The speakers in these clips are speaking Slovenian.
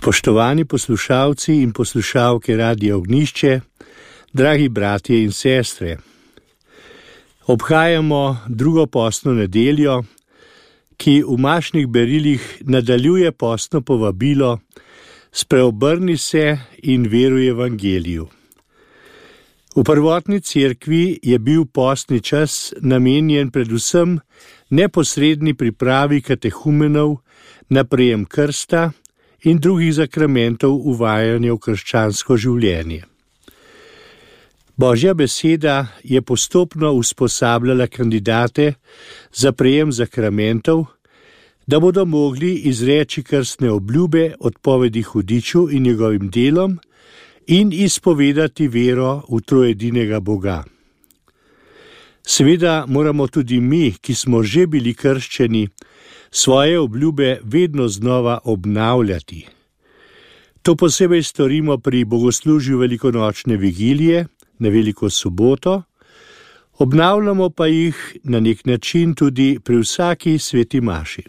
Spoštovani poslušalci in poslušalke Radia Ognjišče, dragi bratje in sestre, obhajamo drugo postno nedeljo, ki v mašnih berilih nadaljuje postno povabilo Spreobrni se in veruj evangeliju. V prvotni cerkvi je bil postni čas namenjen predvsem neposredni pripravi katehumenov na prejem krsta in drugih zakramentov uvajanja v krščansko življenje. Božja beseda je postopno usposabljala kandidate za prejem zakramentov, da bodo mogli izreči krstne obljube odpovedi hudiču in njegovim delom in izpovedati vero v trojedinega Boga. Seveda moramo tudi mi, ki smo že bili krščeni, svoje obljube vedno znova obnavljati. To posebej storimo pri bogoslužju velikonočne vigilije na Veliko soboto, obnavljamo pa jih na nek način tudi pri vsaki sveti maši.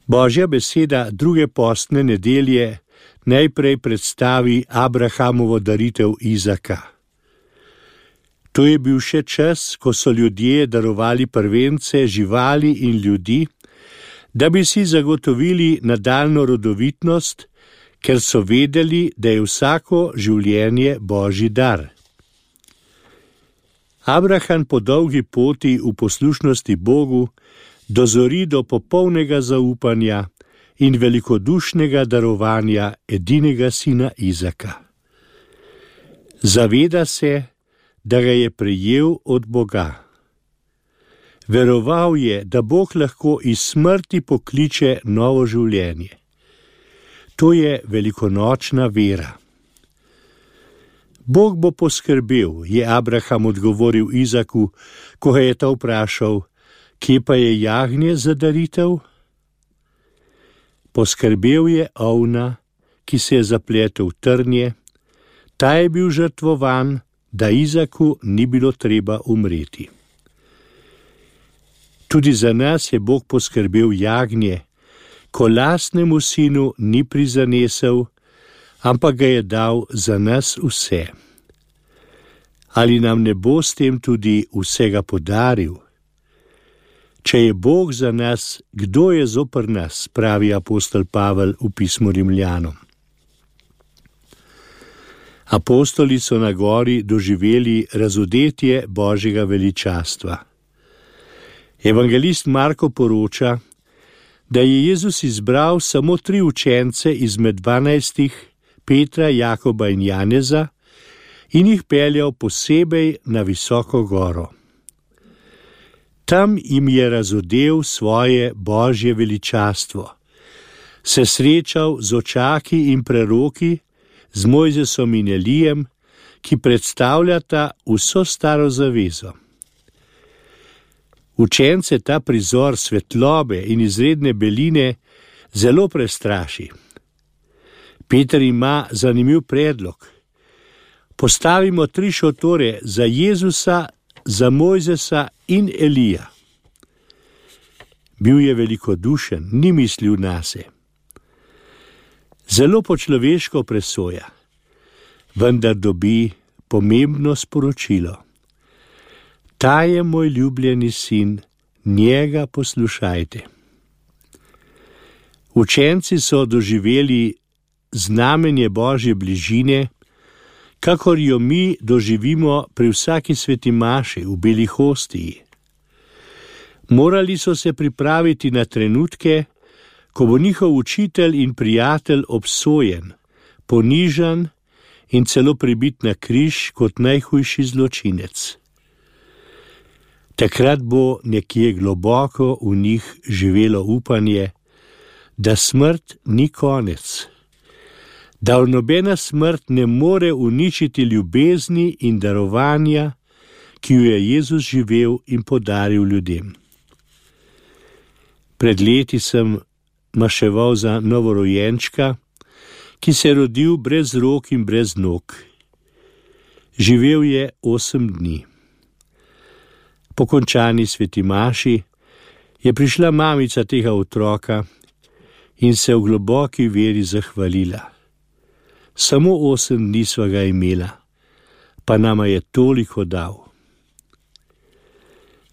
Božja beseda druge postne nedelje najprej predstavi Abrahamovo daritev Izaka. To je bil še čas, ko so ljudje darovali prvence, živali in ljudi, da bi si zagotovili nadaljnjo rodovitnost, ker so vedeli, da je vsako življenje Božji dar. Abraham po dolgi poti v poslušnosti Bogu dozori do popolnega zaupanja in velikodušnega darovanja edinega sina Izaka. Zaveda se, da ga je prejel od Boga. Veroval je, da Bog lahko iz smrti pokliče novo življenje. To je velikonočna vera. Bog bo poskrbel, je Abraham odgovoril Izaku, ko ga je ta vprašal, kje pa je jagnje za daritev? Poskrbel je ovna, ki se je zapletel v trnje, ta je bil žrtvovan, da Izaku ni bilo treba umreti. Tudi za nas je Bog poskrbel jagnje, ko lastnemu sinu ni prizanesel, ampak ga je dal za nas vse. Ali nam ne bo s tem tudi vsega podaril? Če je Bog za nas, kdo je zoper nas, pravi apostol Pavel v pismu Rimljanom. Apostoli so na gori doživeli razodetje Božjega veličastva. Evangelist Marko poroča, da je Jezus izbral samo 3 učence izmed 12, Petra, Jakoba in Janeza, in jih peljal posebej na visoko goro. Tam jim je razodel svoje Božje veličastvo, se srečal z očaki in preroki, z Mojzesom in Elijem, ki predstavljata vso staro zavezo. Učence ta prizor svetlobe in izredne beline zelo prestraši. Peter ima zanimiv predlog. Postavimo 3 šotore za Jezusa, za Mojzesa in Elija. Bil je velikodušen, ni mislil nase. Zelo po človeško presoja, vendar dobi pomembno sporočilo. Ta je moj ljubljeni sin, njega poslušajte. Učenci so doživeli znamenje Božje bližine, kakor jo mi doživimo pri vsaki sveti maši v beli hostiji. Morali so se pripraviti na trenutke, ko bo njihov učitelj in prijatelj obsojen, ponižan in celo pribit na križ kot najhujši zločinec. Takrat bo nekje globoko v njih živelo upanje, da smrt ni konec, da nobena smrt ne more uničiti ljubezni in darovanja, ki jo je Jezus živel in podaril ljudem. Pred leti sem maševal za novorojenčka, ki se je rodil brez rok in brez nog. Živel je 8 dni. Po končani sveti maši je prišla mamica tega otroka in se v globoki veri zahvalila. Samo 8 dni sva ga imela, pa nama je toliko dal.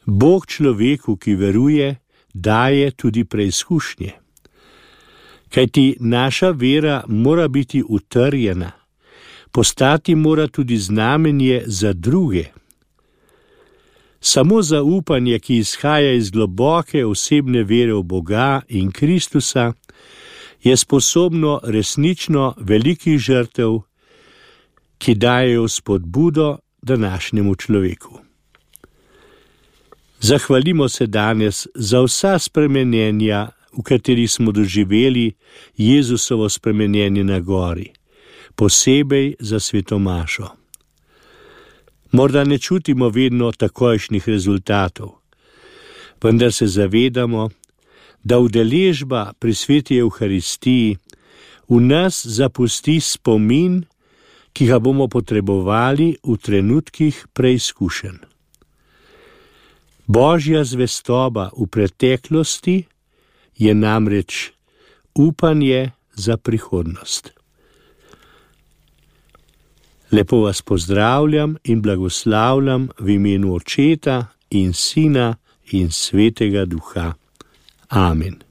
Bog človeku, ki veruje, daje tudi preizkušnje. Kajti naša vera mora biti utrjena, postati mora tudi znamenje za druge. Samo zaupanje, ki izhaja iz globoke osebne vere v Boga in Kristusa, je sposobno resnično velikih žrtev, ki dajejo spodbudo današnjemu človeku. Zahvalimo se danes za vsa spremenjenja, v katerih smo doživeli Jezusovo spremenjenje na gori, posebej za svetomašo. Morda ne čutimo vedno takojšnjih rezultatov, vendar se zavedamo, da udeležba pri sveti Evharistiji v nas zapusti spomin, ki ga bomo potrebovali v trenutkih preizkušenj. Božja zvestoba v preteklosti je namreč upanje za prihodnost. Lepo vas pozdravljam in blagoslavljam v imenu Očeta in Sina in Svetega Duha. Amen.